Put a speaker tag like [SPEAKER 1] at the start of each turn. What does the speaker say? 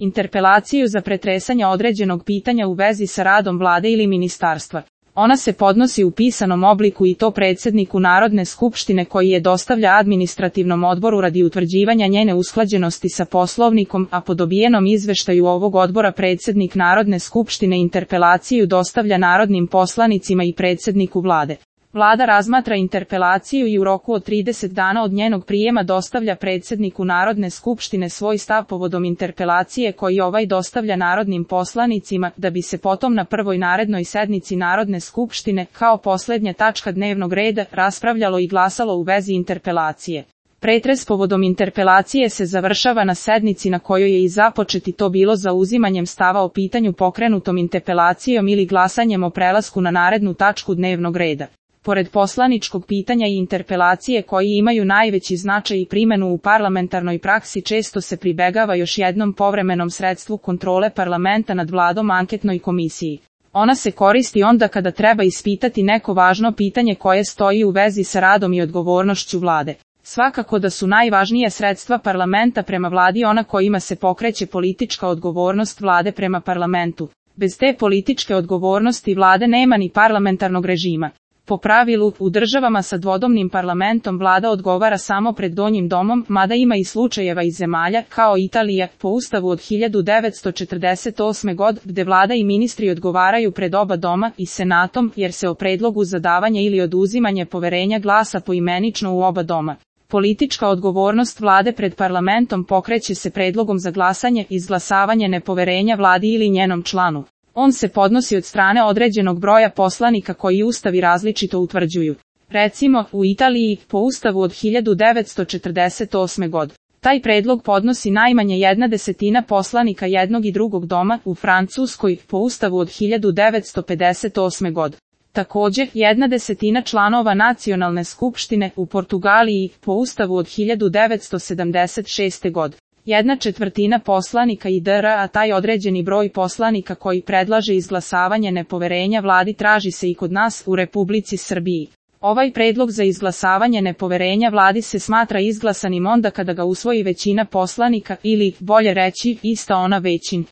[SPEAKER 1] interpelaciju za pretresanje određenog pitanja u vezi sa radom vlade ili ministarstva. Ona se podnosi u pisanom obliku i to predsjedniku Narodne skupštine koji je dostavlja administrativnom odboru radi utvrđivanja njene usklađenosti sa Poslovnikom, a po dobijenom izveštaju ovog odbora predsjednik Narodne skupštine interpelaciju dostavlja narodnim poslanicima i predsjedniku vlade. Vlada razmatra interpelaciju i u roku od 30 dana od njenog prijema dostavlja predsjedniku Narodne skupštine svoj stav povodom interpelacije koji ovaj dostavlja narodnim poslanicima, da bi se potom na prvoj narednoj sednici Narodne skupštine, kao posljednja tačka dnevnog reda, raspravljalo i glasalo u vezi interpelacije. Pretres povodom interpelacije se završava na sednici na kojoj je i započet i to bilo zauzimanjem stava o pitanju pokrenutom interpelacijom ili glasanjem o prelasku na narednu tačku dnevnog reda. Pored poslaničkog pitanja i interpelacije koji imaju najveći značaj i primjenu u parlamentarnoj praksi, često se pribegava još jednom povremenom sredstvu kontrole parlamenta nad vladom, anketnoj komisiji. Ona se koristi onda kada treba ispitati neko važno pitanje koje stoji u vezi sa radom i odgovornošću vlade. Svakako da su najvažnije sredstva parlamenta prema vladi ona kojima se pokreće politička odgovornost vlade prema parlamentu. Bez te političke odgovornosti vlade nema ni parlamentarnog režima. Po pravilu, u državama sa dvodomnim parlamentom vlada odgovara samo pred donjim domom, mada ima i slučajeva iz zemalja, kao Italija, po ustavu od 1948. godine, gde vlada i ministri odgovaraju pred oba doma i senatom, jer se o predlogu za davanje ili oduzimanje poverenja glasa poimenično u oba doma. Politička odgovornost vlade pred parlamentom pokreće se predlogom za glasanje, izglasavanje nepoverenja vladi ili njenom članu. On se podnosi od strane određenog broja poslanika koji ustavi različito utvrđuju. Recimo, u Italiji, po ustavu od 1948. godine, taj predlog podnosi najmanje 1/10 poslanika jednog i drugog doma, u Francuskoj, po ustavu od 1958. godine. Također, 1/10 članova nacionalne skupštine, u Portugaliji, po ustavu od 1976. godine. 1/4 poslanika i dr. a taj određeni broj poslanika koji predlaže izglasavanje nepoverenja vladi traži se i kod nas, u Republici Srbiji. Ovaj predlog za izglasavanje nepoverenja vladi se smatra izglasanim onda kada ga usvoji većina poslanika ili, bolje reći, ista ona većina.